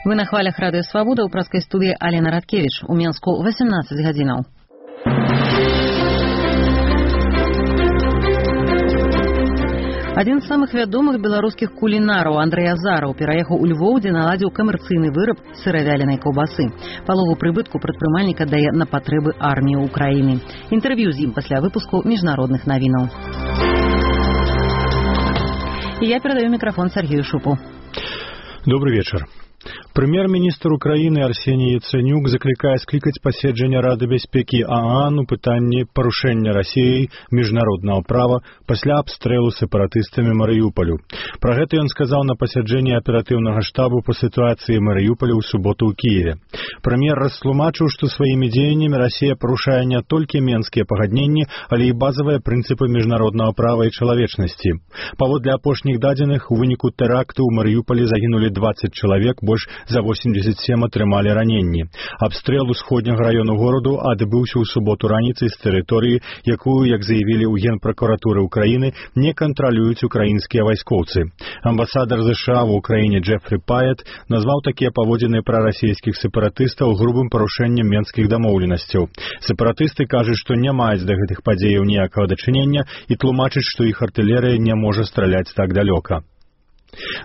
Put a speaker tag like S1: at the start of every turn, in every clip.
S1: Вы на хвалях Радыё Свабода ў праскай студыі Алена Радкевіч. У Менску 18 гадзінаў. Адзін з самых вядомых беларускіх кулінараў Андрэй Азараў пераехаў у Львоў, дзе наладзіў камерцыйны выраб сыравяленай каўбасы. Палову прыбытку прадпрымальнік аддае на патрэбы арміі Украіны. Інтэрв'ю з ім пасля выпуску міжнародных навінаў. І я перадаю мікрафон Сергею Шупу.
S2: Добрый вечер. Прэм'ер-міністр Украіны Арсеній Яцэнюк заклікае склікаць паседжання Рады бяспекі ААН у пытанні парушэння Расіяй міжнароднага права пасля абстрэлу сепаратыстамі Марыюполю. Пра гэта ён сказаў на пасяджэнні аператыўнага штабу па сітуацыі Марыюполя ў суботу ў Кіеве. Прэм'ер растлумачыў, што сваімі дзеяннямі Расія парушае не толькі менскія пагадненні, але і базавыя прынцыпы міжнароднага права і чалавечнасці. Паводле апошніх дадзеных, у выніку тэракту ў Марыюполі загінулі 20 чалавек, больш за 87 атрымалі раненні. Абстрэл усходняга раёну гораду адбыўся ў суботу раніцай з тэрыторыі, якую, як заявілі ў Генпракуратуры Украіны, не кантралююць украінскія вайскоўцы. Амбасадар США ў Украіне Джефрі Паэт назваў такія паводзіны прарасійскіх сепаратыстаў грубым парушэннем менскіх дамоўленасцяў. Сепаратысты кажуць, што не маюць да гэтых падзеяў ніякага дачынення і тлумачаць, што іх артылерыя не можа страляць так далёка.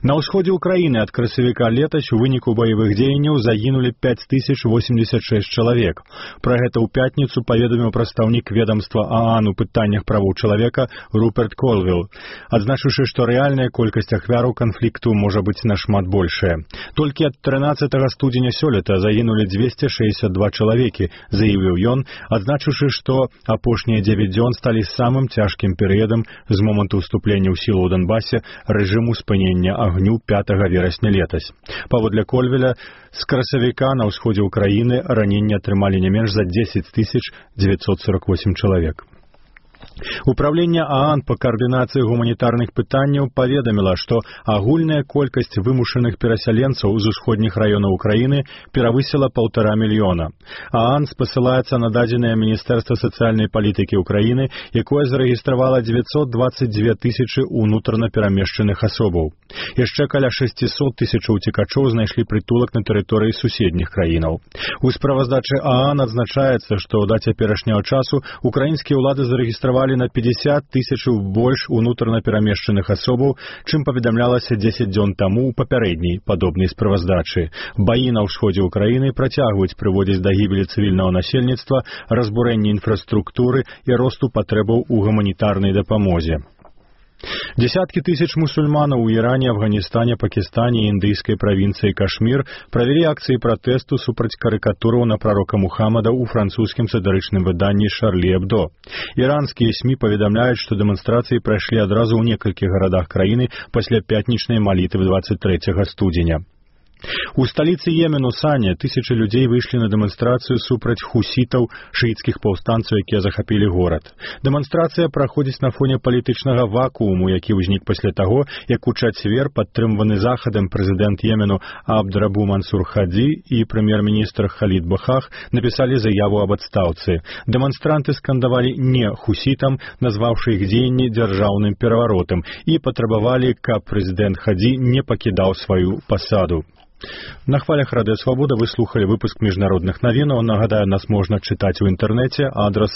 S2: На ўсходзе Украіны ад красавіка летась у выніку баявых дзеянняў загінулі 5086 чалавек. Пра гэта ў пятніцу паведаміў прадстаўнік ведамства ААН у пытаннях правоў чалавека Руперт Колвилл, адзначыўшы, што рэальная колькасць ахвяраў канфлікту можа быць нашмат большая. Толькі ад 13 студзеня сёлета загінулі 262 чалавекі, заявіў ён, адзначыўшы, што апошнія 9 дзён сталі самым цяжкім перыядам з моманту ўступлення ў сілу ў Донбасе рэжыму спынення агню 5 верасня летась. Паводле Кольвеля, з красавіка на ўсходзе Украіны раненні атрымалі не менш за 10 948 чалавек. Управленне ААН па каардынацыі гуманітарных пытанняў паведаміла, што агульная колькасць вымушаных перасяленцаў з усходніх раёнаў Украіны перавысіла 1,5 мільёна. ААН спасылаецца на дадзеныя Міністэрства сацыяльнай палітыкі Украіны, якое зарэгістравала 922 тысячы ўнутрана перамешчаных асобаў. Яшчэ каля 600 тысячаў уцекачоў знайшлі прытулак на тэрыторыі суседніх краінаў. У справаздачы ААН адзначаецца, што да цяперашняга часу украінскія ўлады зарэгістравалі на 50 тысячаў больш унутрана перамешчаных асобаў, чым паведамлялася 10 дзён таму ў папярэдняй падобнай справаздачы. Баі на ўсходзе Украіны працягваюць прыводзіць да гібелі цывільнага насельніцтва, разбурэння інфраструктуры і росту патрэбаў у гуманітарнай дапамозе. Десяткі тысяч мусульманаў у Іране, Афганістане, Пакістане і індыйскай правінцыі Кашмір правялі акцыі пратэсту супраць карыкатураў на прарока Мухаммада ў французскім сатырычным выданні «Шарлі Эбдо». Іранскія СМІ паведамляюць, што дэманстрацыі прайшлі адразу ў некалькіх гарадах краіны пасля пятнічнай малітвы 23 студзеня. У сталіцы Йемену Сане тысячы людзей выйшлі на дэманстрацыю супраць хусітаў, шыіцкіх паўстанцаў, якія захапілі горад. Дэманстрацыя праходзіць на фоне палітычнага вакууму, які ўзнік пасля таго, як у чацвер падтрымваны захадам прэзідэнт Йемену Абдрабу Мансур Хаді і прэм'ер-міністр Халід Бахах напісалі заяву аб адстаўцы. Дэманстранты скандавалі «не» хусітам, назваўшы іх дзеянні дзяржаўным пераваротам, і патрабавалі, каб прэзідэнт Хаді не пакідаў сваю пасаду. На хвалях Радыё Свабода вы слухали выпуск міжнародных навінаў. Нагадаю, нас можна чытаць у інтэрнэце. Адрас